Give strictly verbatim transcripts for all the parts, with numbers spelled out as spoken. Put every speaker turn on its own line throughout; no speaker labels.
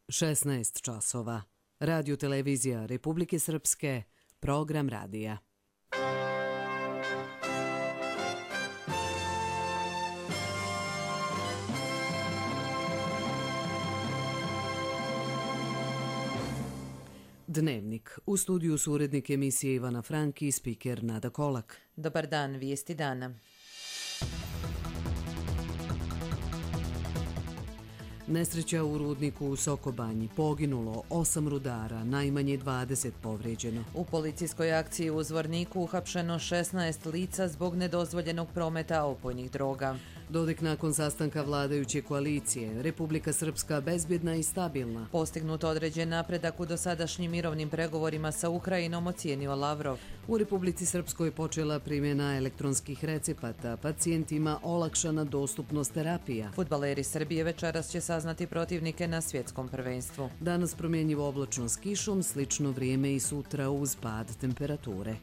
šesnaest časova. Radio televizija Republike Srpske, program radija. Dnevnik. U studiju su urednik emisije Ivana Franki i spiker Nada Kolak.
Dobar dan, vijesti dana.
Nesreća u rudniku u Sokobanji. Poginulo osam rudara, najmanje dvadeset povrijeđeno.
U policijskoj akciji u Zvorniku uhapšeno šesnaest lica zbog nedozvoljenog prometa opojnih droga.
Dodik nakon sastanka vladajuće koalicije. Republika Srpska bezbjedna i stabilna.
Postignut određen napredak u dosadašnjim mirovnim pregovorima sa Ukrajinom, ocijenio Lavrov.
U Republici Srpskoj počela primjena elektronskih recepata. Pacijentima olakšana dostupnost terapija.
Fudbaleri Srbije večeras će saznati protivnike na svjetskom prvenstvu.
Danas promjenjivo oblačno s kišom, slično vrijeme i sutra uz pad temperature.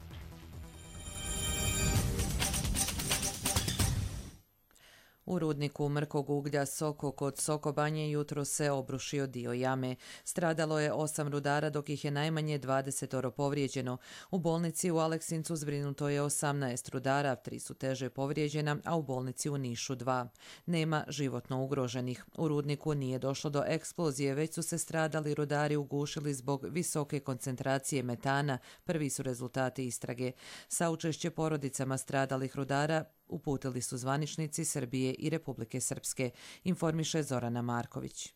U rudniku mrkog uglja Soko kod Sokobanje jutro se obrušio dio jame. Stradalo je osam rudara, dok ih je najmanje dvadesetoro povrijeđeno. U bolnici u Aleksincu zbrinuto je osamnaest rudara, tri su teže povrijeđena, a u bolnici u Nišu dva. Nema životno ugroženih. U rudniku nije došlo do eksplozije, već su se stradali rudari ugušili zbog visoke koncentracije metana. Prvi su rezultati istrage. Saučešće porodicama stradalih rudara uputili su zvaničnici Srbije i Republike Srpske, informiše Zorana Marković.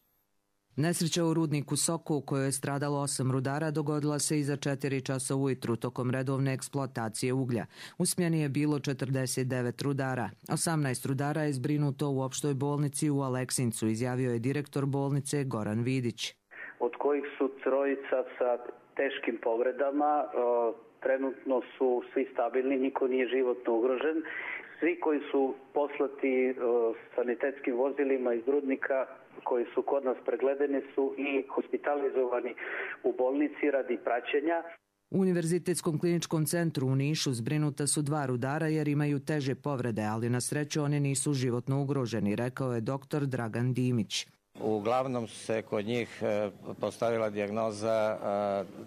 Nesreća u rudniku Soko u kojoj je stradalo osam rudara dogodila se iza četiri časa ujutru tokom redovne eksploatacije uglja. U smjeni je bilo četrdeset devet rudara. osamnaest rudara je zbrinuto u opštoj bolnici u Aleksincu, izjavio je direktor bolnice Goran Vidić.
Od kojih su trojica sa teškim povredama, trenutno su svi stabilni, niko nije životno ugrožen. Svi koji su poslati sanitetskim vozilima iz rudnika, koji su kod nas pregledani, su i hospitalizovani u bolnici radi praćenja.
U Univerzitetskom kliničkom centru u Nišu zbrinuta su dva rudara jer imaju teže povrede, ali na sreću oni nisu životno ugroženi, rekao je doktor Dragan Dimić.
Uglavnom se kod njih postavila dijagnoza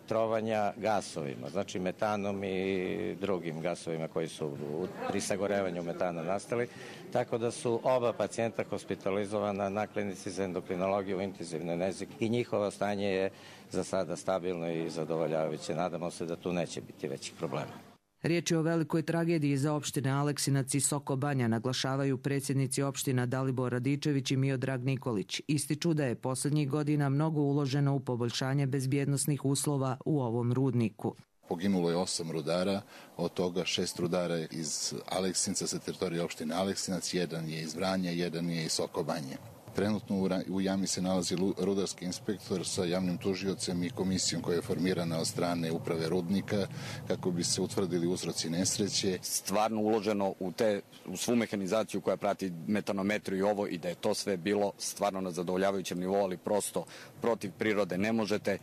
trovanja gasovima, znači metanom i drugim gasovima koji su pri sagorevanju metana nastali, tako da su oba pacijenta hospitalizovana na klinici za endokrinologiju u intenzivnoj nezi i njihovo stanje je za sada stabilno i zadovoljavajuće. Nadamo se da tu neće biti većih problema.
Riječ je o velikoj tragediji za opštine Aleksinac i Sokobanja, naglašavaju predsjednici opština Dalibor Radičević i Miodrag Nikolić. Ističu da je posljednjih godina mnogo uloženo u poboljšanje bezbjednosnih uslova u ovom rudniku.
Poginulo je osam rudara, od toga šest rudara iz Aleksinca sa teritorije opštine Aleksinac, jedan je iz Vranja, jedan je iz Sokobanje. Trenutno u jami se nalazi rudarski inspektor sa javnim tužiocem i komisijom koja je formirana od strane uprave rudnika kako bi se utvrdili uzroci nesreće.
Stvarno uloženo u, te, u svu mehanizaciju koja prati metanometru i ovo i da je to sve bilo stvarno na zadovoljavajućem nivou, ali prosto protiv prirode ne možete.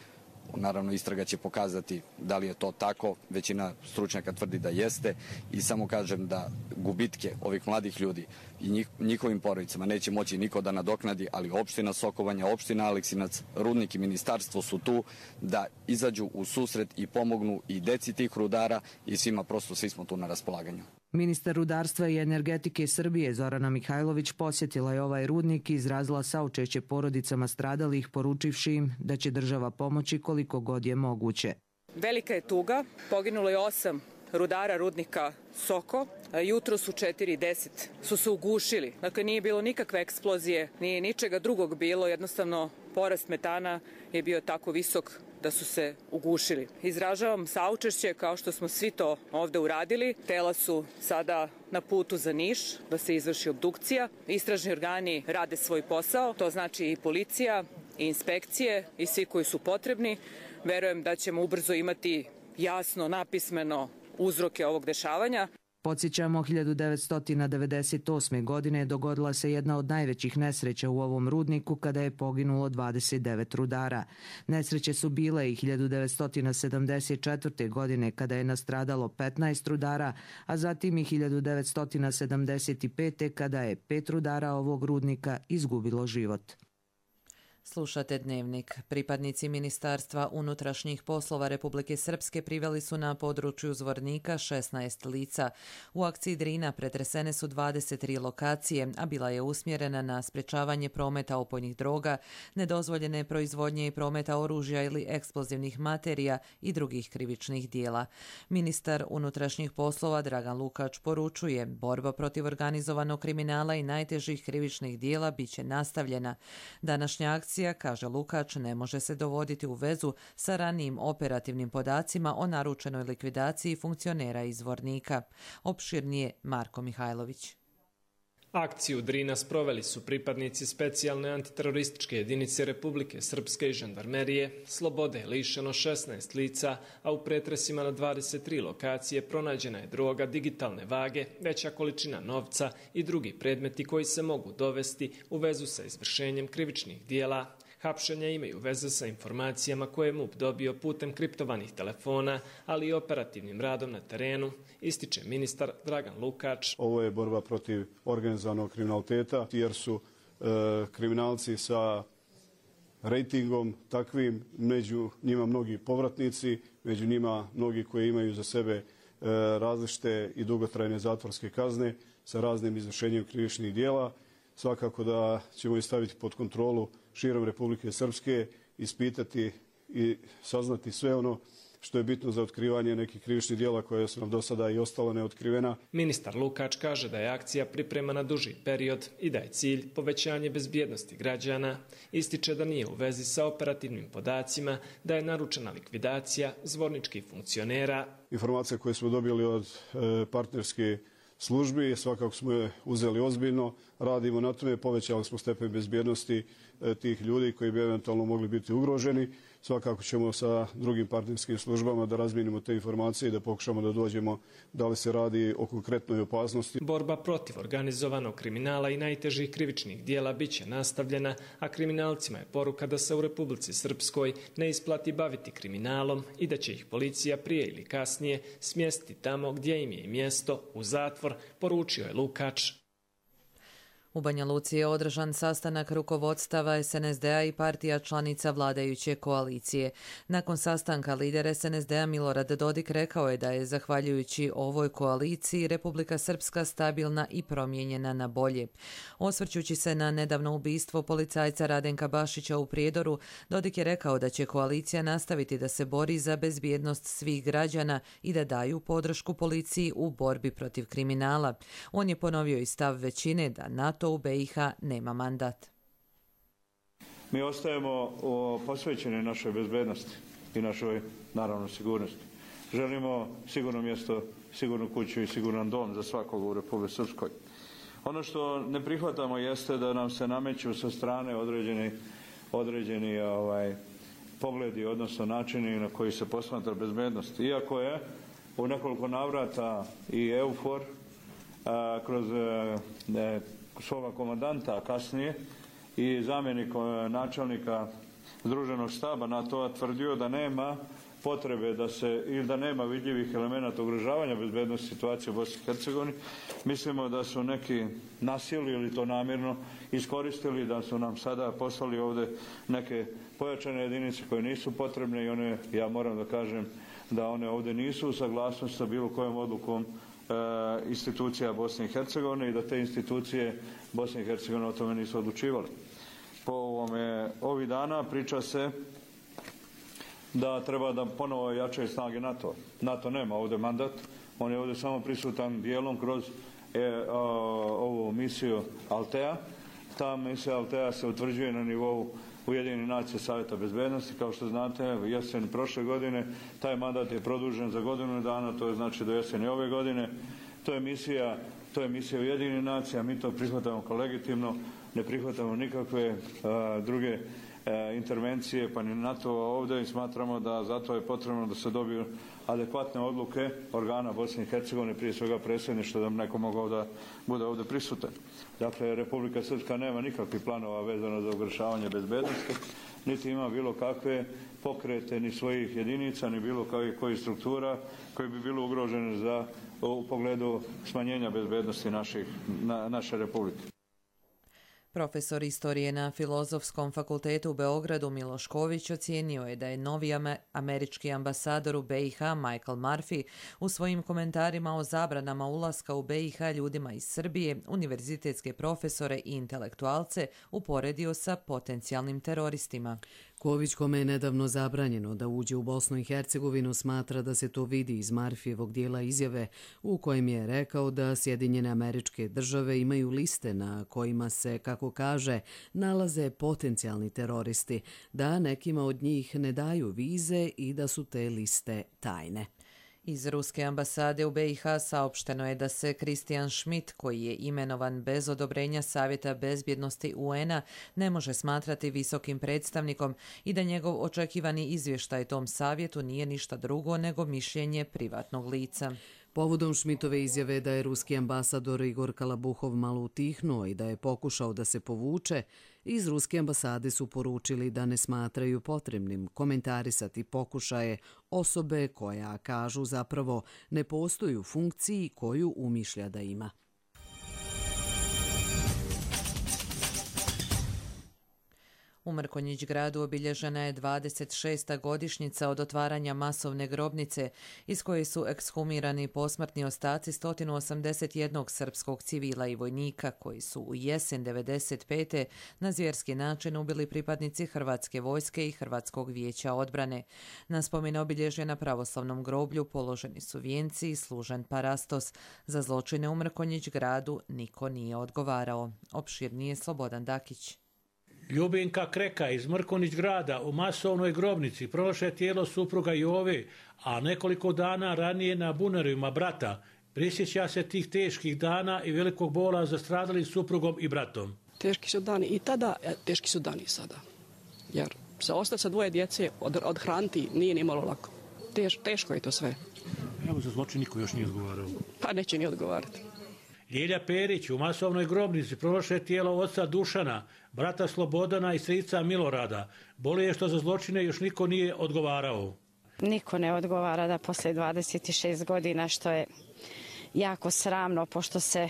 Naravno, istraga će pokazati da li je to tako, većina stručnjaka tvrdi da jeste i samo kažem da gubitke ovih mladih ljudi i njih, njihovim porodicama neće moći niko da nadoknadi, ali opština Sokobanja, opština Aleksinac, rudnik i ministarstvo su tu da izađu u susret i pomognu i deci tih rudara i svima, prosto svi smo tu na raspolaganju.
Ministar rudarstva i energetike Srbije Zorana Mihajlović posjetila je ovaj rudnik i izrazila saučešće porodicama stradalih, poručivši im da će država pomoći koliko god je moguće.
Velika je tuga, poginulo je osam rudara rudnika Soko, jutro su četiri deset su se ugušili. Dakle, nije bilo nikakve eksplozije, nije ničega drugog bilo, jednostavno porast metana je bio tako visok da su se ugušili. Izražavam saučešće kao što smo svi to ovde uradili. Tela su sada na putu za Niš da se izvrši obdukcija. Istražni organi rade svoj posao, to znači i policija, i inspekcije i svi koji su potrebni. Verujem da ćemo ubrzo imati jasno, napismeno uzroke ovog dešavanja.
Podsjećamo, hiljadu devetsto devedeset osme. godine dogodila se jedna od najvećih nesreća u ovom rudniku kada je poginulo dvadeset devet rudara. Nesreće su bile i hiljadu devetsto sedamdeset četvrte. godine kada je nastradalo petnaest rudara, a zatim i hiljadu devetsto sedamdeset pete. kada je pet rudara ovog rudnika izgubilo život.
Slušate Dnevnik. Pripadnici Ministarstva unutrašnjih poslova Republike Srpske priveli su na području Zvornika šesnaest lica. U akciji Drina pretresene su dvadeset tri lokacije, a bila je usmjerena na sprečavanje prometa opojnih droga, nedozvoljene proizvodnje i prometa oružja ili eksplozivnih materija i drugih krivičnih dijela. Ministar unutrašnjih poslova Dragan Lukač poručuje, borba protiv organizovanog kriminala i najtežih krivičnih dijela biće nastavljena. Današnja akcija, kaže Lukač, ne može se dovoditi u vezu sa ranijim operativnim podacima o naručenoj likvidaciji funkcionera iz Zvornika. Opširnije Marko Mihajlović.
Akciju Drina sproveli su pripadnici specijalne antiterorističke jedinice Republike Srpske i žandarmerije. Slobode je lišeno šesnaest lica, a u pretresima na dvadeset tri lokacije pronađena je droga digitalne vage, veća količina novca i drugi predmeti koji se mogu dovesti u vezu sa izvršenjem krivičnih dijela. Hapšenja imaju veze sa informacijama koje je M U P dobio putem kriptovanih telefona, ali i operativnim radom na terenu, ističe ministar Dragan Lukač.
Ovo je borba protiv organizovanog kriminaliteta, jer su e, kriminalci sa rejtingom takvim, među njima mnogi povratnici, među njima mnogi koji imaju za sebe e, različite i dugotrajne zatvorske kazne sa raznim izvršenjem krivičnih dijela. Svakako da ćemo ih staviti pod kontrolu širom Republike Srpske, ispitati i saznati sve ono što je bitno za otkrivanje nekih krivičnih dijela koje su nam do sada i ostala neotkrivena.
Ministar Lukač kaže da je akcija pripremana duži period i da je cilj povećanje bezbjednosti građana. Ističe da nije u vezi sa operativnim podacima, da je naručena likvidacija zvorničkih funkcionera.
Informacije koje smo dobili od e, partnerske službi, svakako smo je uzeli ozbiljno, radimo na tome, povećali smo stepen bezbjednosti e, tih ljudi koji bi eventualno mogli biti ugroženi. Svakako ćemo sa drugim partnerskim službama da razmijenimo te informacije i da pokušamo da dođemo da li se radi o konkretnoj opasnosti.
Borba protiv organizovanog kriminala i najtežih krivičnih dijela biće nastavljena, a kriminalcima je poruka da se u Republici Srpskoj ne isplati baviti kriminalom i da će ih policija prije ili kasnije smjestiti tamo gdje im je i mjesto, u zatvor, poručio je Lukač.
U Banja Luci je održan sastanak rukovodstava S N S D-a i partija članica vladajuće koalicije. Nakon sastanka lider S N S D-a Milorad Dodik rekao je da je zahvaljujući ovoj koaliciji Republika Srpska stabilna i promijenjena na bolje. Osvrćući se na nedavno ubistvo policajca Radenka Bašića u Prijedoru, Dodik je rekao da će koalicija nastaviti da se bori za bezbjednost svih građana i da daju podršku policiji u borbi protiv kriminala. On je ponovio i stav većine da NATO u B i H nema mandat.
Mi ostajemo posvećeni našoj bezbednosti i našoj, naravno, sigurnosti. Želimo sigurno mjesto, sigurnu kuću i siguran dom za svakog u Republici Srpskoj. Ono što ne prihvatamo jeste da nam se nameću sa strane određeni, određeni ovaj, pogledi, odnosno načini na koji se posmatra bezbednost. Iako je u nekoliko navrata i EUFOR a, kroz ne, svoga komandanta, a kasnije i zamjenik načelnika Združenog štaba NATO-a tvrdio da nema potrebe da se, ili da nema vidljivih elemenata ugrožavanja bezbednosti situacije u Bosni i Hercegovini. Mislimo da su neki nasili ili to namjerno iskoristili, da su nam sada poslali ovdje neke pojačane jedinice koje nisu potrebne i one, ja moram da kažem, da one ovdje nisu u saglasnosti sa bilo kojom odlukom institucija Bosne i Hercegovine i da te institucije Bosne i Hercegovine o tome nisu odlučivali. Po ovome, ovih dana priča se da treba da ponovo jačaju snage NATO. NATO nema ovdje mandat, on je ovdje samo prisutan dijelom kroz e, a, ovu misiju Altea. Ta misija Altea se utvrđuje na nivou Ujedinjenih nacija Savjeta bezbednosti. Kao što znate, jesen prošle godine taj mandat je produžen za godinu dana, to je znači do jeseni ove godine. To je misija, to je misija Ujedinjenih nacija, mi to prihvatamo kao legitimno, ne prihvatamo nikakve a, druge a, intervencije, pa ni NATO-a ovdje i smatramo da zato je potrebno da se dobiju adekvatne odluke organa Bosne i Hercegovine, prije svega predsjedništva, da neko mogao da bude ovdje prisutan. Dakle, Republika Srpska nema nikakvih planova vezano za ugrožavanje bezbednosti, niti ima bilo kakve pokrete ni svojih jedinica, ni bilo kakvih struktura koji bi bilo ugrožene za, u pogledu smanjenja bezbednosti naših, na, naše republike.
Profesor istorije na Filozofskom fakultetu u Beogradu Miloš Ković ocijenio je da je novi američki ambasador u B i H Michael Murphy u svojim komentarima o zabranama ulaska u B i H ljudima iz Srbije, univerzitetske profesore i intelektualce uporedio sa potencijalnim teroristima.
Ković, kome je nedavno zabranjeno da uđe u Bosnu i Hercegovinu, smatra da se to vidi iz Marfijevog dijela izjave u kojem je rekao da Sjedinjene Američke Države imaju liste na kojima se, kako kaže, nalaze potencijalni teroristi, da nekima od njih ne daju vize i da su te liste tajne.
Iz ruske ambasade u B i H saopšteno je da se Christian Schmidt, koji je imenovan bez odobrenja Savjeta bezbjednosti U N-a, ne može smatrati visokim predstavnikom i da njegov očekivani izvještaj tom savjetu nije ništa drugo nego mišljenje privatnog lica.
Povodom Schmidtove izjave da je ruski ambasador Igor Kalabuhov malo utihnuo i da je pokušao da se povuče, iz ruske ambasade su poručili da ne smatraju potrebnim komentarisati pokušaje osobe koja, kažu, zapravo ne postoji u funkciji koju umišlja da ima.
U Mrkonjić gradu obilježena je dvadeset šesta godišnjica od otvaranja masovne grobnice iz koje su ekshumirani posmrtni ostaci sto osamdeset jednog srpskog civila i vojnika koji su u jesen devedeset pete na zvjerski način ubili pripadnici Hrvatske vojske i Hrvatskog vijeća odbrane. Na spomen obilježje na pravoslavnom groblju položeni su vijenci i služen parastos. Za zločine u Mrkonjić gradu niko nije odgovarao. Opširnije Slobodan Dakić.
Ljubinka Kreka iz Mrkonjić grada u masovnoj grobnici pronašla tijelo supruga Jove, a nekoliko dana ranije na bunerima brata. Prisjeća se tih teških dana i velikog bola za stradalih suprugom i bratom.
Teški su dani i tada, teški su dani i sada. Jer se ostati sa dvoje djece, od, odhraniti nije ni malo lako. Teš, teško je to sve.
Evo za zločin niko još nije odgovarao.
Pa neće ni odgovarati.
Ljilja Perić u masovnoj grobnici pronašla tijelo oca Dušana, brata Slobodana i strica Milorada. Boli je što za zločine još niko nije odgovarao.
Niko ne odgovara da poslije dvadeset šest godina, što je jako sramno, pošto se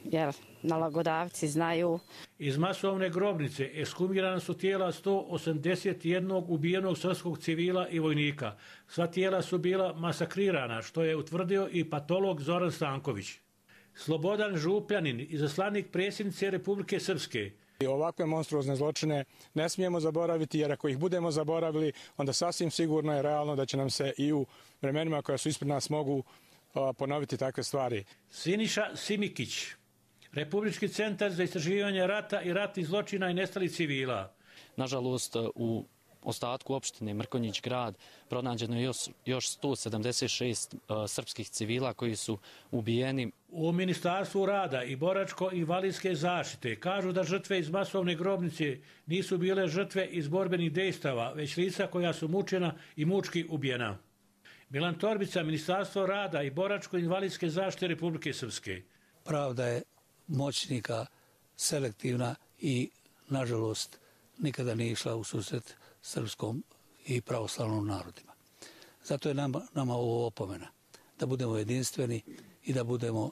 jer, nalogodavci znaju.
Iz masovne grobnice ekshumirana su tijela sto osamdeset jednog ubijenog srpskog civila i vojnika. Sva tijela su bila masakrirana, što je utvrdio i patolog Zoran Stanković. Slobodan Župljanin, izaslanik predsjednice Republike Srpske.
Ovakve monstruozne zločine ne smijemo zaboraviti, jer ako ih budemo zaboravili, onda sasvim sigurno je realno da će nam se i u vremenima koja su ispred nas mogu ponoviti takve stvari.
Siniša Simikić, Republički centar za istraživanje rata i ratnih zločina i nestalih civila.
Nažalost, u ostatku opštine Mrkonjić grad pronađeno je još, još sto sedamdeset šest uh, srpskih civila koji su ubijeni.
U Ministarstvu rada i boračko-invalidske zaštite kažu da žrtve iz masovne grobnice nisu bile žrtve iz borbenih dejstava, već lica koja su mučena i mučki ubijena. Milan Torbica, Ministarstvo rada i boračko-invalidske zaštite Republike Srpske.
Pravda je moćnika selektivna i, nažalost, nikada nije išla u susret srpskom i pravoslavnom narodima. Zato je nama, nama ovo opomena, da budemo jedinstveni i da budemo uh,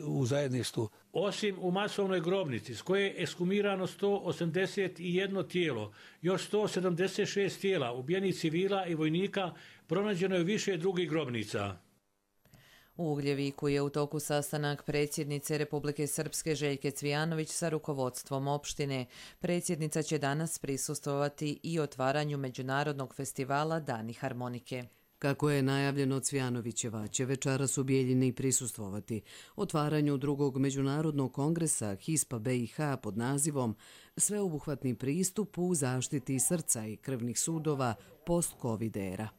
u zajedništvu.
Osim u masovnoj grobnici, s koje je ekshumirano sto osamdeset jedno tijelo, još sto sedamdeset šest tijela ubijenih civila i vojnika, pronađeno je više drugih grobnica.
U Ugljeviku je u toku sastanak predsjednice Republike Srpske Željke Cvijanović sa rukovodstvom opštine. Predsjednica će danas prisustvovati i otvaranju međunarodnog festivala Dani harmonike.
Kako je najavljeno, Cvijanovićeva će večeras u Bijeljini prisustvovati otvaranju drugog međunarodnog kongresa HISPA B i H pod nazivom Sveobuhvatni pristup u zaštiti srca i krvnih sudova post-Covid era.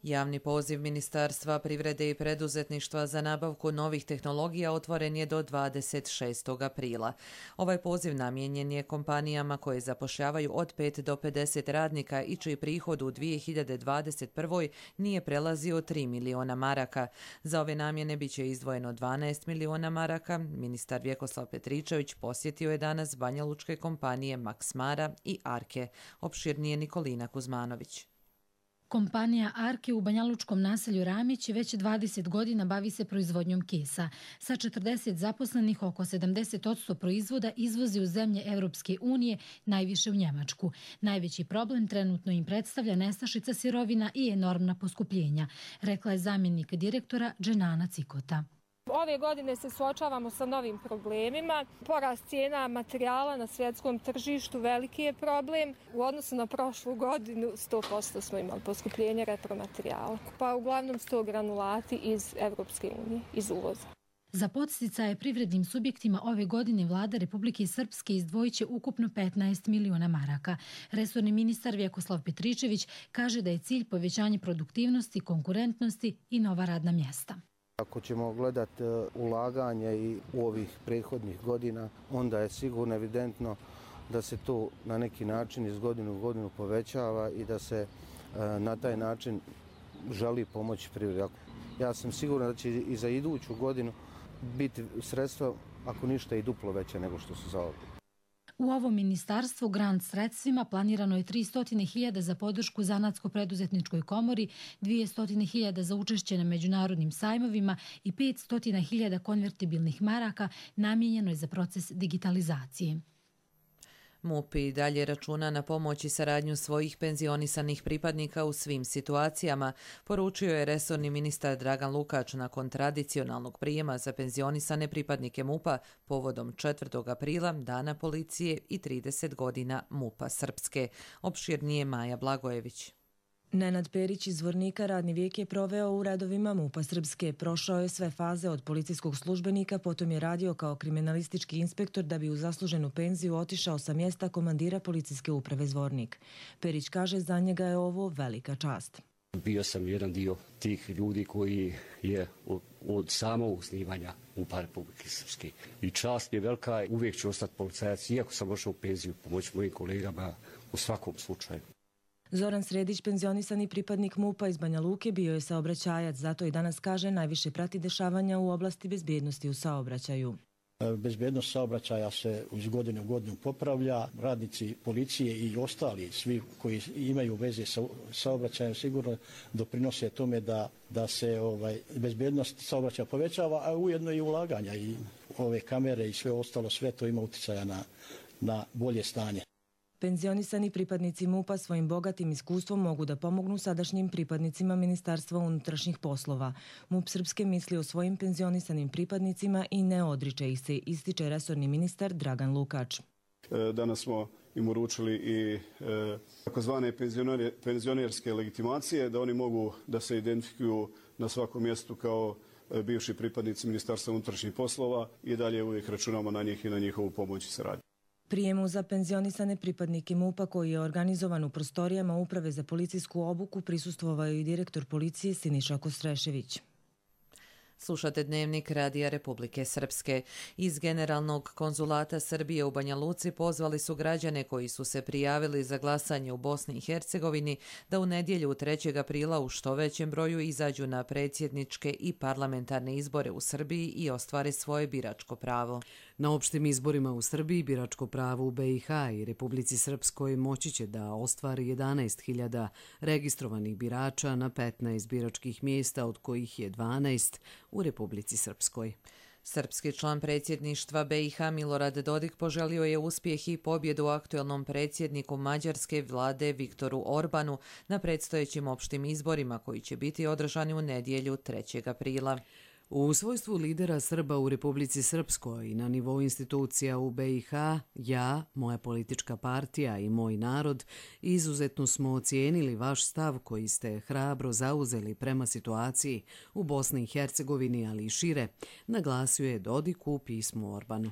Javni poziv Ministarstva privrede i preduzetništva za nabavku novih tehnologija otvoren je do dvadeset šestog aprila. Ovaj poziv namijenjen je kompanijama koje zapošljavaju od pet do pedeset radnika i čiji prihod u dvije hiljade dvadeset prvoj nije prelazio tri miliona maraka. Za ove namjene biće izdvojeno dvanaest miliona maraka. Ministar Vjekoslav Petričević posjetio je danas banjalučke kompanije Maksmara i Arke. Opširnije Nikolina Kuzmanović.
Kompanija Arke u banjalučkom naselju Ramić već dvadeset godina bavi se proizvodnjom kesa. Sa četrdeset zaposlenih oko sedamdeset posto proizvoda izvozi u zemlje Evropske unije, najviše u Njemačku. Najveći problem trenutno im predstavlja nestašica sirovina i enormna poskupljenja, rekla je zamjenik direktora Dženana Cikota.
Ove godine se suočavamo sa novim problemima. Porast cijena materijala na svjetskom tržištu veliki je problem. U odnosu na prošlu godinu sto posto smo imali poskupljenje repromaterijala. Pa uglavnom sto granulati iz Evropske unije, iz uvoza.
Za podsticaje privrednim subjektima ove godine vlada Republike Srpske izdvojit će ukupno petnaest miliona maraka. Resorni ministar Vjekoslav Petričević kaže da je cilj povećanje produktivnosti, konkurentnosti i nova radna mjesta.
Ako ćemo gledati ulaganje i u ovih prethodnih godina, onda je sigurno evidentno da se to na neki način iz godine u godinu povećava i da se na taj način želi pomoći privredi. Ja sam siguran da će i za iduću godinu biti sredstva, ako ništa, i duplo veće nego što su za ovo.
U ovom ministarstvu grant sredstvima planirano je tristo hiljada za podršku Zanatsko-preduzetničkoj komori, dvjesto hiljada za učešće na međunarodnim sajmovima i petsto hiljada konvertibilnih maraka namijenjeno je za proces digitalizacije.
MUP i dalje računa na pomoć i saradnju svojih penzionisanih pripadnika u svim situacijama, poručio je resorni ministar Dragan Lukač nakon tradicionalnog prijema za penzionisane pripadnike MUP-a povodom četvrtog aprila, Dana policije i trideset godina MUP-a Srpske. Opširnije Maja Blagojević.
Nenad Perić iz Zvornika radni vijek je proveo u redovima MUP-a Srpske. Prošao je sve faze od policijskog službenika, potom je radio kao kriminalistički inspektor da bi u zasluženu penziju otišao sa mjesta komandira policijske uprave Zvornik. Perić kaže za njega je ovo velika čast.
Bio sam jedan dio tih ljudi koji je od, od samog osnivanja MUP-a Republike Srpske. I čast je velika, uvijek ću ostati policajac, iako sam došao u penziju, pomoći mojim kolegama u svakom slučaju.
Zoran Sredić, penzionisani pripadnik MUP-a iz Banja Luke, bio je saobraćajac, zato i danas kaže najviše prati dešavanja u oblasti bezbjednosti u saobraćaju.
Bezbjednost saobraćaja se iz godine u godinu popravlja. Radnici policije i ostali, svi koji imaju veze sa saobraćajem, sigurno doprinose tome da, da se ovaj, bezbjednost saobraćaja povećava, a ujedno i ulaganja i ove kamere i sve ostalo, sve to ima utjecaja na, na bolje stanje.
Penzionisani pripadnici MUP-a svojim bogatim iskustvom mogu da pomognu sadašnjim pripadnicima Ministarstva unutrašnjih poslova. MUP Srpske misli o svojim penzionisanim pripadnicima i ne odriče ih se, ističe resorni ministar Dragan Lukač.
Danas smo im uručili i takozvane penzionerske legitimacije, da oni mogu da se identifikuju na svakom mjestu kao bivši pripadnici Ministarstva unutrašnjih poslova i dalje uvijek računamo na njih i na njihovu pomoć i saradnju.
Prijemu za penzionisane pripadnike MUP-a koji je organizovan u prostorijama Uprave za policijsku obuku prisustvovao i direktor policije Siniša Kostrešević.
Slušate Dnevnik Radija Republike Srpske. Iz Generalnog konzulata Srbije u Banja Luci pozvali su građane koji su se prijavili za glasanje u Bosni i Hercegovini da u nedjelju trećeg aprila u što većem broju izađu na predsjedničke i parlamentarne izbore u Srbiji i ostvare svoje biračko pravo.
Na opštim izborima u Srbiji biračko pravo u B i H i Republici Srpskoj moći će da ostvari jedanaest hiljada registrovanih birača na petnaest biračkih mjesta, od kojih je dvanaest u Republici Srpskoj.
Srpski član predsjedništva B i H Milorad Dodik poželio je uspjeh i pobjedu aktuelnom predsjedniku Mađarske vlade Viktoru Orbanu na predstojećim opštim izborima koji će biti održani u nedjelju trećeg aprila.
U svojstvu lidera Srba u Republici Srpskoj i na nivou institucija u B i H, ja, moja politička partija i moj narod izuzetno smo ocijenili vaš stav koji ste hrabro zauzeli prema situaciji u Bosni i Hercegovini, ali i šire, naglasio je Dodik u pismu Orbanu.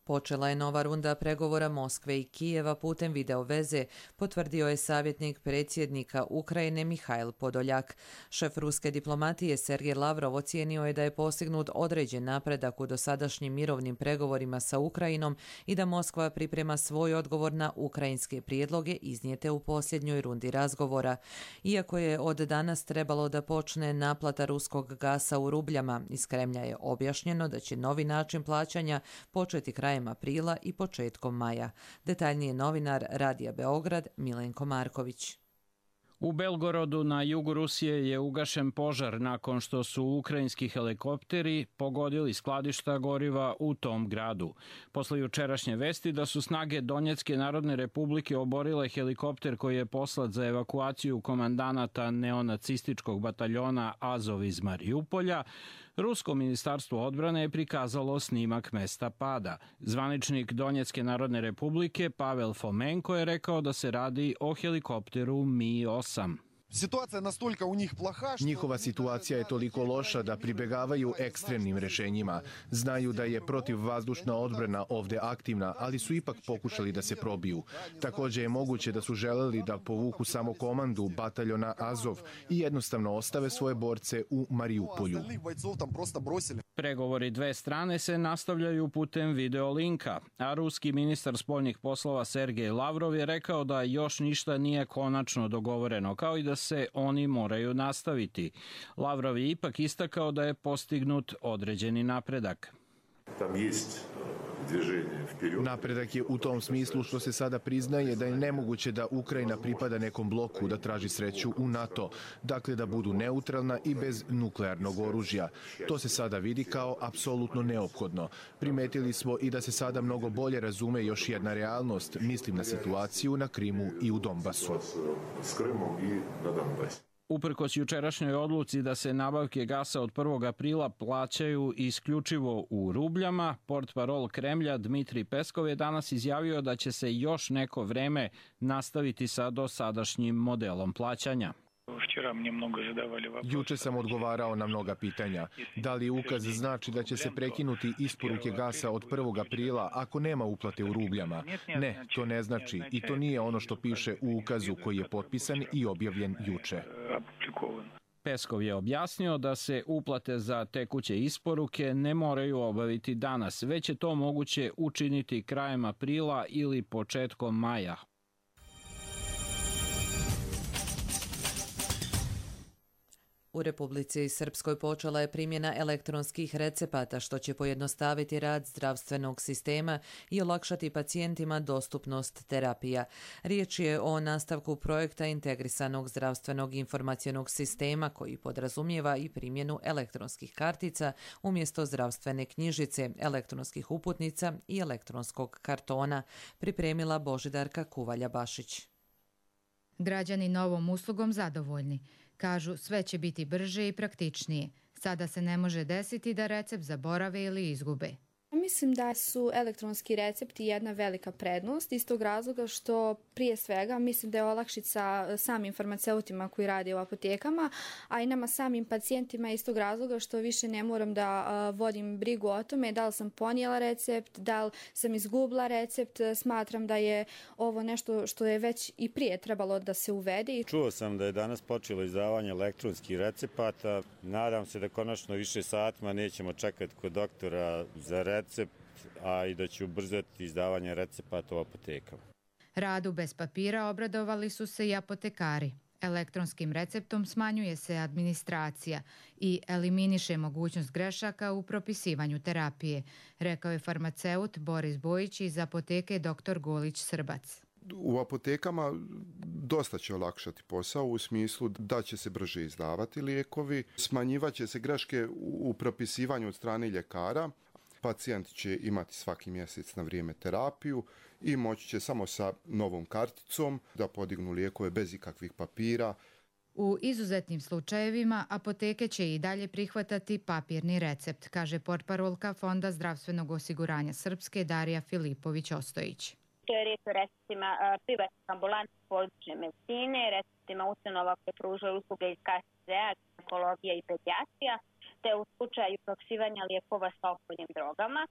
Počela je nova runda pregovora Moskve i Kijeva putem video veze, potvrdio je savjetnik predsjednika Ukrajine Mihajl Podoljak. Šef ruske diplomatije Sergej Lavrov ocijenio je da je postignut određen napredak u dosadašnjim mirovnim pregovorima sa Ukrajinom i da Moskva priprema svoj odgovor na ukrajinske prijedloge iznijete u posljednjoj rundi razgovora. Iako je od danas trebalo da počne naplata ruskog gasa u rubljama, iz Kremlja je objašnjeno da će novi način plaćanja početi krajem aprila i početkom maja. Detaljnije novinar Radija Beograd Milenko Marković.
U Belgorodu na jugu Rusije je ugašen požar nakon što su ukrajinski helikopteri pogodili skladišta goriva u tom gradu. Posle jučerašnje vesti da su snage Donjecke narodne republike oborile helikopter koji je poslat za evakuaciju komandanata neonacističkog bataljona Azov iz Marijupolja, Rusko ministarstvo odbrane je prikazalo snimak mesta pada. Zvaničnik Donjecke narodne republike Pavel Fomenko je rekao da se radi o helikopteru Mi osam.
Njihova situacija je toliko loša da pribegavaju ekstremnim rešenjima. Znaju da je protivvazdušna odbrana ovde aktivna, ali su ipak pokušali da se probiju. Također je moguće da su želeli da povuku samo komandu bataljona Azov i jednostavno ostave svoje borce u Marijupolju.
Pregovori dve strane se nastavljaju putem videolinka, a ruski ministar spoljnih poslova Sergej Lavrov je rekao da još ništa nije konačno dogovoreno, kao i da se oni moraju nastaviti. Lavrov je ipak istakao da je postignut određeni napredak.
Napredak je u tom smislu što se sada priznaje da je nemoguće da Ukrajina pripada nekom bloku da traži sreću u NATO, dakle da budu neutralna i bez nuklearnog oružja. To se sada vidi kao apsolutno neophodno. Primetili smo i da se sada mnogo bolje razume još jedna realnost, mislim na situaciju na Krimu i u Donbasu.
Uprkos jučerašnjoj odluci da se nabavke gasa od prvog aprila plaćaju isključivo u rubljama, portparol Kremlja Dmitrij Peskov je danas izjavio da će se još neko vreme nastaviti sa dosadašnjim modelom plaćanja.
Juče sam odgovarao na mnoga pitanja. Da li ukaz znači da će se prekinuti isporuke gasa od prvog aprila ako nema uplate u rubljama? Ne, to ne znači i to nije ono što piše u ukazu koji je potpisan i objavljen juče.
Peskov je objasnio da se uplate za tekuće isporuke ne moraju obaviti danas, već je to moguće učiniti krajem aprila ili početkom maja.
U Republici Srpskoj počela je primjena elektronskih recepata, što će pojednostaviti rad zdravstvenog sistema i olakšati pacijentima dostupnost terapija. Riječ je o nastavku projekta integrisanog zdravstvenog informacionog sistema koji podrazumijeva i primjenu elektronskih kartica umjesto zdravstvene knjižice, elektronskih uputnica i elektronskog kartona, pripremila Božidarka Kuvalja-Bašić.
Građani novom uslugom zadovoljni. Kažu, sve će biti brže i praktičnije. Sada se ne može desiti da recept zaborave ili izgube.
Mislim da su elektronski recepti jedna velika prednost iz tog razloga što prije svega mislim da je olakšica samim farmaceutima koji rade u apotekama, a i nama samim pacijentima iz tog razloga što više ne moram da vodim brigu o tome da li sam ponijela recept, da li sam izgubila recept. Smatram da je ovo nešto što je već i prije trebalo da se uvede.
Čuo sam da je danas počelo izdavanje elektronskih recepata. Nadam se da konačno više satima nećemo čekati kod doktora za recept, a i da će ubrzati izdavanje recepata u apotekama.
Radu bez papira obradovali su se i apotekari. Elektronskim receptom smanjuje se administracija i eliminiše mogućnost grešaka u propisivanju terapije, rekao je farmaceut Boris Bojić iz apoteke doktor Golić Srbac.
U apotekama dosta će olakšati posao u smislu da će se brže izdavati lijekovi, smanjivat će se greške u propisivanju od strane ljekara. Pacijent će imati svaki mjesec na vrijeme terapiju i moći će samo sa novom karticom da podignu lijekove bez ikakvih papira.
U izuzetnim slučajevima apoteke će i dalje prihvatati papirni recept, kaže portparolka Fonda zdravstvenog osiguranja Srpske Darija Filipović-Ostojić.
To je riječ o receptima privatnih ambulanti područne medicine, receptima ustanova koje pružaju usluge iz K S Z-a, ginekologija i pedijatrija, te u slučaju propisivanja lijekova sa opojnim drogama.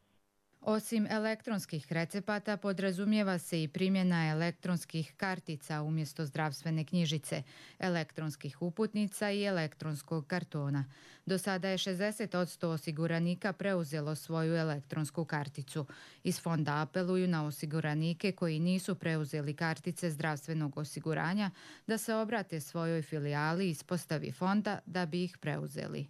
Osim elektronskih recepata podrazumijeva se i primjena elektronskih kartica umjesto zdravstvene knjižice, elektronskih uputnica i elektronskog kartona. Do sada je šezdeset posto osiguranika preuzelo svoju elektronsku karticu. Iz fonda apeluju na osiguranike koji nisu preuzeli kartice zdravstvenog osiguranja da se obrate svojoj filijali ispostavi fonda da bi ih preuzeli.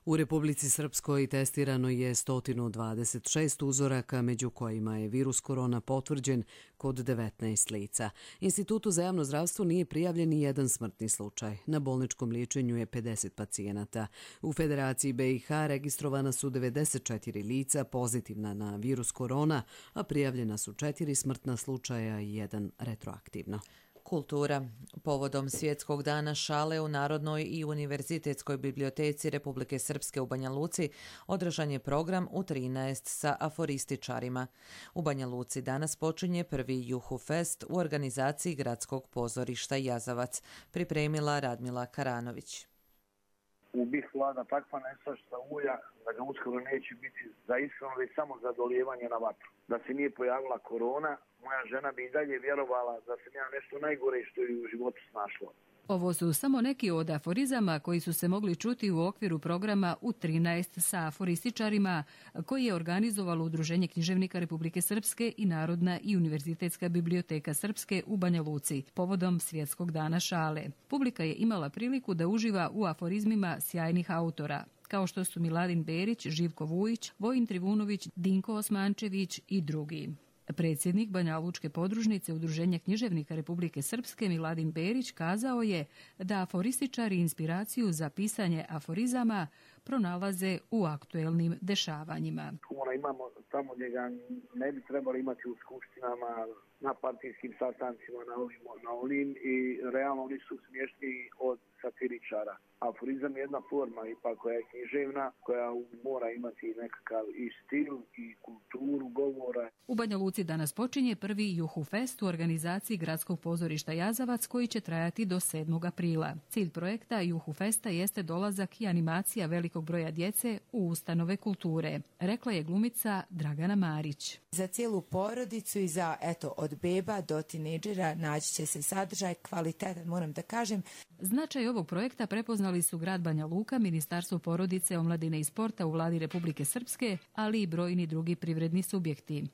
U Republici Srpskoj testirano je sto dvadeset šest uzoraka, među kojima je virus korona potvrđen kod devetnaest lica. Institutu za javno zdravstvo nije prijavljen ni jedan smrtni slučaj. Na bolničkom liječenju je pedeset pacijenata. U Federaciji B i H registrovana su devedeset četiri lica pozitivna na virus korona, a prijavljena su četiri smrtna slučaja i jedan retroaktivno.
Kultura. Povodom Svjetskog dana šale u Narodnoj i Univerzitetskoj biblioteci Republike Srpske u Banja Luci održan je program u trinaest sa aforističarima. U Banja Luci danas počinje prvi Juhu Fest u organizaciji Gradskog pozorišta Jazavac, pripremila Radmila Karanović.
U B i H vlada takva nestašta ulja da ga uskoro neće biti za iskreno, već samo za dolijevanje na vatru. Da se nije pojavila korona, moja žena bi i dalje vjerovala da sam ja nešto najgore što je u životu snašlo.
Ovo su samo neki od aforizama koji su se mogli čuti u okviru programa u trinaest sa aforističarima koji je organizovalo Udruženje književnika Republike Srpske i Narodna i Univerzitetska biblioteka Srpske u Banja Luci povodom Svjetskog dana šale. Publika je imala priliku da uživa u aforizmima sjajnih autora, kao što su Miladin Berić, Živko Vujić, Vojin Trivunović, Dinko Osmančević i drugi. Predsjednik Banja Lučke podružnice Udruženja književnika Republike Srpske Miladin Berić kazao je da aforističari inspiraciju za pisanje aforizama pronalaze u aktuelnim dešavanjima.
Humora imamo tamo gdje ga ne bi trebali imati u skupštinama, na partijskim sastancima, na ovim, na ovim i realno oni su smješniji od satiričara. Aforizam je jedna forma ipak koja je književna, koja mora imati nekakav i stil i kulturu govora.
U Banja Luci danas počinje prvi Juhu Fest u organizaciji Gradskog pozorišta Jazavac koji će trajati do sedmog aprila. Cilj projekta Juhu Festa jeste dolazak i animacija velikog broja djece u ustanove kulture, rekla je glumica Dragana Marić.
Za cijelu porodicu i za, eto, od beba do tinejdžera naći će se sadržaj kvalitetan, moram da kažem.
Značaj ovog projekta prepoznali su grad Banja Luka, Ministarstvo porodice, omladine i sporta u vladi Republike Srpske, ali i brojni drugi privredni subjekti.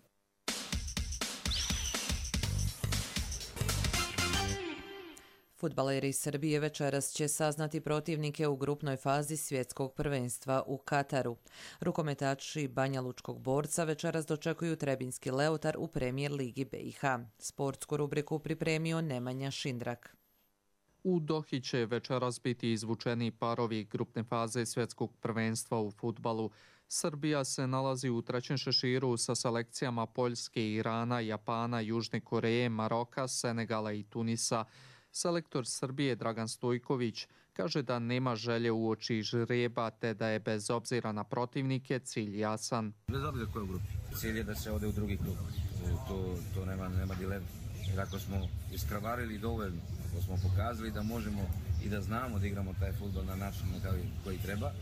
Fudbaleri Srbije večeras će saznati protivnike u grupnoj fazi svjetskog prvenstva u Kataru. Rukometaši Banja Lučkog Borca večeras dočekuju Trebinski Leutar u Premijer ligi B i H. Sportsku rubriku pripremio Nemanja Šindrak.
U Dohi će večeras biti izvučeni parovi grupne faze svjetskog prvenstva u fudbalu. Srbija se nalazi u trećem šeširu sa selekcijama Poljske, Irana, Japana, Južne Koreje, Maroka, Senegala i Tunisa. Selektor Srbije Dragan Stojković kaže da nema želje uoči žreba te da je bez obzira na protivnike cilj jasan.
Bez obzira koje u grupi. Cilj je da se ode u drugi klub. To, to nema, nema dilema. Jer ako smo iskravarili dovoljno, ako smo pokazali da možemo i da znamo da igramo taj fudbal na način koji treba,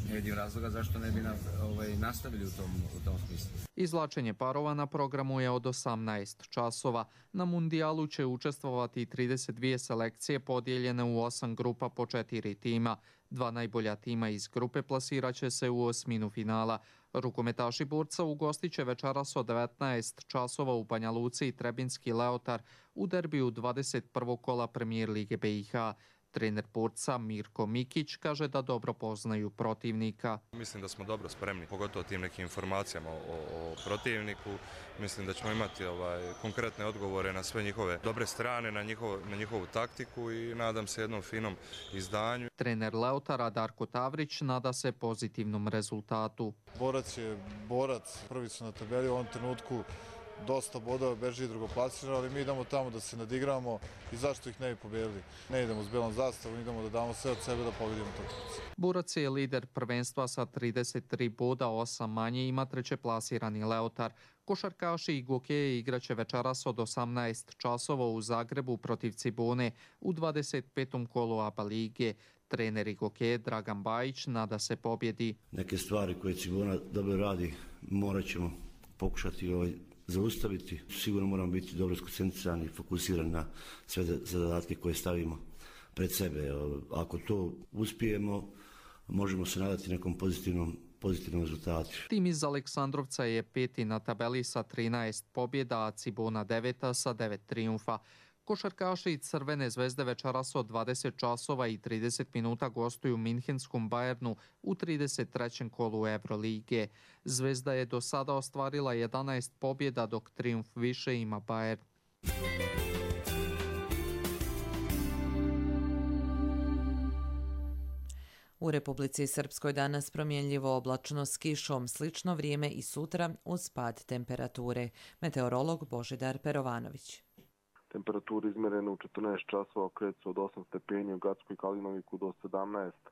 ne vidim razloga zašto ne bi na, ovaj, nastavili u tom, u tom smislu.
Izvlačenje parova na programu je od osamnaest časova. Na mundijalu će učestvovati trideset dvije selekcije podijeljene u osam grupa po četiri tima. Dva najbolja tima iz grupe plasiraće se u osminu finala. Rukometaši Borca ugostit će večeras od devetnaest časova u Banja Luci i Trebinski Leutar u derbiju dvadeset prvog kola Premijer lige B i H. Trener Borca Mirko Mikić kaže da dobro poznaju protivnika.
Mislim da smo dobro spremni, pogotovo tim nekim informacijama o, o protivniku. Mislim da ćemo imati ovaj, konkretne odgovore na sve njihove dobre strane, na, njihov, na njihovu taktiku i nadam se jednom finom izdanju.
Trener Leutara Darko Tavrić nada se pozitivnom rezultatu.
Borac je borac, prvi su na tabeli u ovom trenutku. Dosta bodova beži drugoplasirano, ali mi idemo tamo da se nadigramo i zašto ih ne bi pobjedili. Ne idemo s belom zastavom, idemo da damo sve od sebe da pobjedimo to.
Borac je lider prvenstva sa trideset tri boda, osam manje ima treće plasirani Leutar. Košarkaši i gokeje igraće večeras od osamnaest časova u Zagrebu protiv Cibone u dvadeset petom kolu A B A lige. Trener i gokeje Dragan Bajić nada se pobjedi.
Neke stvari koje Cibona dobro radi morat ćemo pokušati ovaj zaustaviti. Sigurno moramo biti dobro skoncentrirani i fokusirani na sve zadatke koje stavimo pred sebe. Ako to uspijemo, možemo se nadati nekom pozitivnom, pozitivnom rezultatu.
Tim iz Aleksandrovca je peti na tabeli sa trinaest pobjeda, a Cibona deveta sa devet trijumfa. Košarkaši Crvene zvezde večeras od dvadeset časova i trideset minuta gostuju Minhenskom Bayernu u trideset trećem kolu Evrolige. Zvezda je do sada ostvarila jedanaest pobjeda, dok trijumf više ima Bayern.
U Republici Srpskoj danas promjenljivo oblačno s kišom, slično vrijeme i sutra uz pad temperature. Meteorolog Božidar Perovanović.
Temperature izmjerene u četrnaest časova kreću od osam stepeni, u Gackoj Kalinoviku do sedamnaest.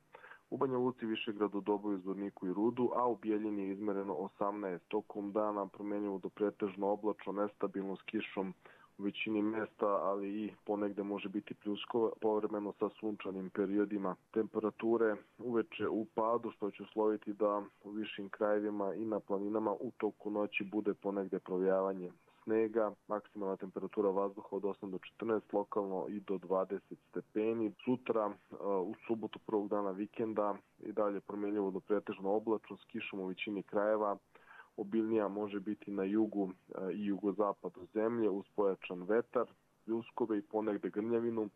U Banja Luci, Višegradu, Doboju, Zvorniku i Rudu, a u Bijeljini je izmjereno osamnaest. Tokom dana promjenjivo do pretežno oblačno, nestabilno s kišom u većini mjesta, ali i ponegde može biti pljuskova, povremeno sa sunčanim periodima. Temperature uveče u padu, što će usloviti da u višim krajevima i na planinama u toku noći bude ponegde provejavanje snega, maksimalna temperatura vazduha od osam do četrnaest, lokalno i do dvadeset stepeni. Sutra, u subotu prvog dana vikenda, i dalje promjenjivo do pretežno oblačno s kišom u većini krajeva. Obilnija može biti na jugu i jugozapadu zemlje uz pojačan vetar, pljuskove i ponegde grmljavinu.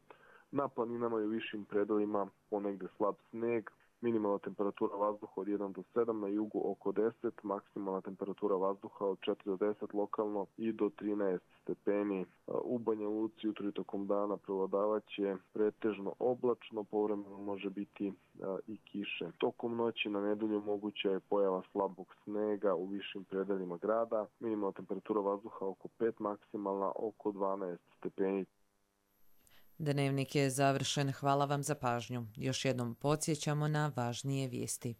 Na planinama i u višim predelima ponegde slab sneg. Minimalna temperatura vazduha od jedan do sedam, na jugu oko deset, maksimalna temperatura vazduha od četiri do deset, lokalno i do trinaest stepeni. U Banja Luci jutro i tokom dana prevladavaće pretežno oblačno, povremeno može biti i kiše. Tokom noći na nedelju moguća je pojava slabog snega u višim predelima grada. Minimalna temperatura vazduha oko pet, maksimalna oko dvanaest stepeni.
Dnevnik je završen. Hvala vam za pažnju. Još jednom podsjećamo na važnije vijesti.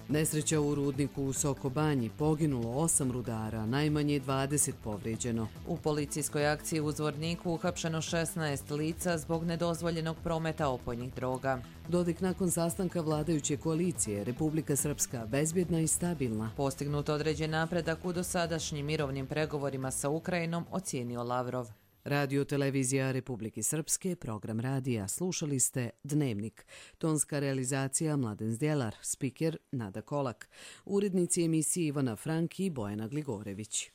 Nesreća u rudniku u Soko Banji, poginulo osam rudara, najmanje dvadeset povrijeđeno.
U policijskoj akciji u Zvorniku uhapšeno šesnaest lica zbog nedozvoljenog prometa opojnih droga.
Dodik nakon sastanka vladajuće koalicije, Republika Srpska bezbjedna i stabilna.
Postignut određen napredak u dosadašnjim mirovnim pregovorima sa Ukrajinom, ocijenio Lavrov.
Radio televizija Republike Srpske, program radija. Slušali ste Dnevnik. Tonska realizacija Mladen Zdjelar, spiker Nada Kolak. Urednici emisije Ivana Frank i Bojana Gligorević.